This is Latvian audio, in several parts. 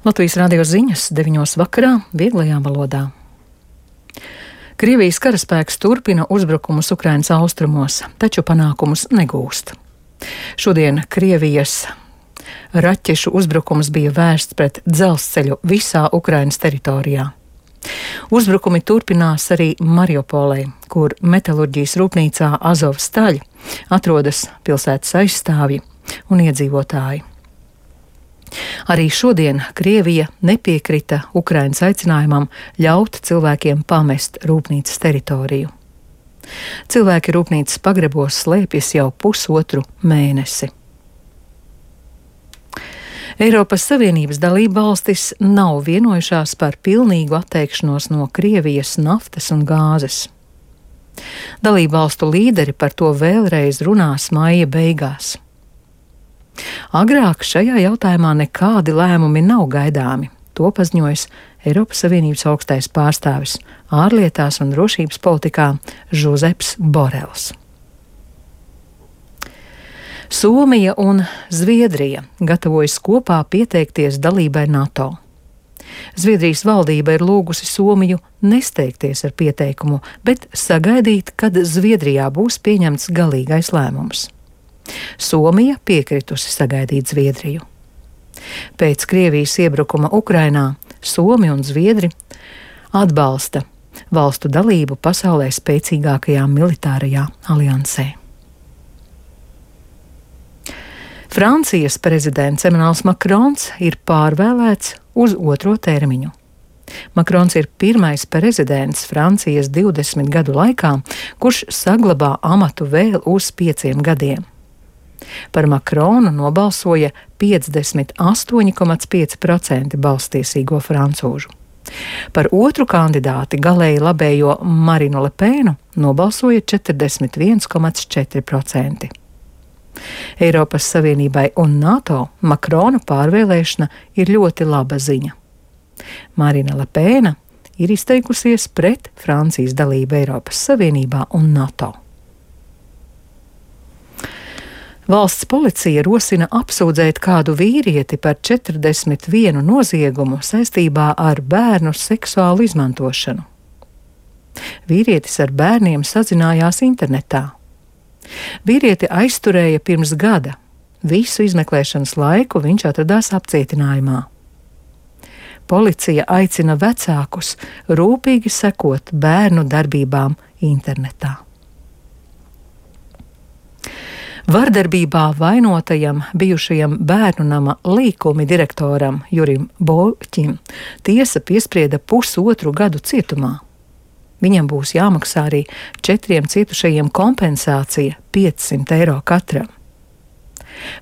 Latvijas radio ziņas 9:00 vakarā vieglajā valodā. Krievijas karaspēks turpina uzbrukumus Ukrainas austrumos, taču panākumus negūst. Šodien Krievijas raķešu uzbrukums bija vērsts pret dzelzceļu visā Ukrainas teritorijā. Uzbrukumi turpinās arī Mariupolē, kur metalurģijas rūpnīcā Azovstaļ atrodas pilsētas aizstāvji un iedzīvotāji. Arī šodien Krievija nepiekrita Ukrainas aicinājumam ļaut cilvēkiem pamest rūpnīcas teritoriju. Cilvēki rūpnīcas pagrebos slēpjas jau pusotru mēnesi. Eiropas Savienības dalībvalstis nav vienojušās par pilnīgu atteikšanos no Krievijas naftas un gāzes. Dalībvalstu līderi par to vēlreiz runās maija beigās. Agrāk šajā jautājumā nekādi lēmumi nav gaidāmi, to paziņojas Eiropas Savienības augstais pārstāvis ārlietās un drošības politikā Žozeps Borels. Somija un Zviedrija gatavojas kopā pieteikties dalībai NATO. Zviedrijas valdība ir lūgusi Somiju nesteigties ar pieteikumu, bet sagaidīt, kad Zviedrijā būs pieņemts galīgais lēmums. Somija piekritusi sagaidīt Zviedriju. Pēc Krievijas iebrukuma Ukrainā Somi un Zviedri atbalsta valstu dalību pasaulē spēcīgākajā militārajā aliansē. Francijas prezidents Emmanuels Makrons ir pārvēlēts uz otro termiņu. Makrons ir pirmais prezidents Francijas 20 gadu laikā, kurš saglabā amatu vēl uz 5 gadiem. Par Makronu nobalsoja 58,5% balstiesīgo francūžu. Par otru kandidāti galēji labējo Marinu Lepēnu nobalsoja 41,4%. Eiropas Savienībai un NATO Makrona pārvēlēšana ir ļoti laba ziņa. Marina Lepēna ir izteikusies pret Francijas dalību Eiropas Savienībā un NATO. Valsts policija rosina apsūdzēt kādu vīrieti par 41 noziegumu saistībā ar bērnu seksuālu izmantošanu. Vīrietis ar bērniem sazinājās internetā. Vīrieti aizturēja pirms gada. Visu izmeklēšanas laiku viņš atradās apcietinājumā. Policija aicina vecākus rūpīgi sekot bērnu darbībām internetā. Vardarbībā vainotajam bijušajam bērnu nama līkumi direktoram Jurim Boļķim tiesa piesprieda 1,5 gadu cietumā. Viņam būs jāmaksā arī 4 cietušajiem kompensācija 500 eiro katram.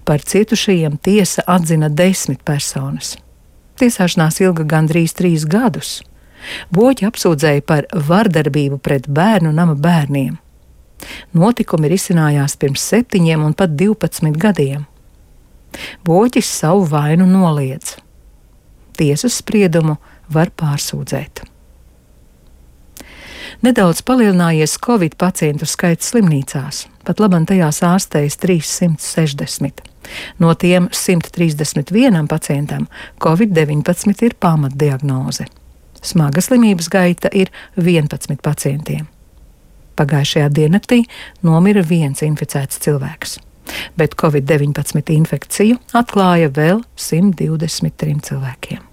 Par cietušajiem tiesa atzina 10 personas. Tiesāšanās ilga gandrīz 3 gadus. Boļķi apsūdzēja par vardarbību pret bērnu nama bērniem. Notikumi risinājās pirms 7 un pat 12 gadiem. Boļķis savu vainu noliedz. Tiesas spriedumu var pārsūdzēt. Nedaudz palielinājies Covid pacientu skaits slimnīcās, pat labam tajās ārstējas 360. No tiem 131 pacientam Covid-19 ir pamatdiagnoze. Smaga slimības gaita ir 11 pacientiem. Pagājušajā diennaktī nomira 1 inficēts cilvēks, bet Covid-19 infekciju atklāja vēl 123 cilvēkiem.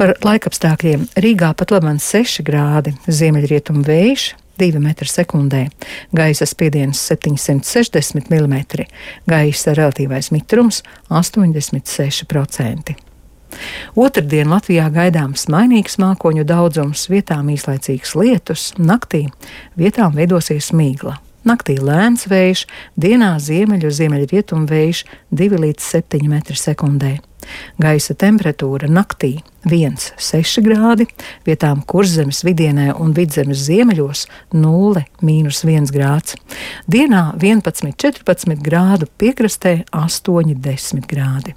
Par laikapstākļiem Rīgā pat labam 6 grādi, ziemeļrietumu vējš 2 m/sekundē, gaisa spiediens 760 mm, gaisa relatīvais mitrums 86%. Otrdien Latvijā gaidāms mainīgs mākoņu daudzums, vietām īslaicīgs lietus, naktī vietām veidosies migla. Naktī lēns vējš, dienā ziemeļrietumu vējš 2 līdz 7 m/sekundē. Gaisa temperatūra naktī 1,6 grādi, vietām Kurzemes vidienē un Vidzemes ziemeļos 0,-1 grāds. Dienā 11,14 grādu, piekrastē 8,10 grādi.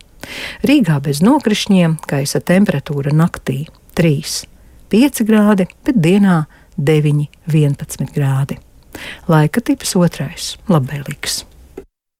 Rīgā bez nokrišņiem gaisa temperatūra naktī 3,5 grādi, bet dienā 9,11 grādi. Laika tips 2. labvēlīgs.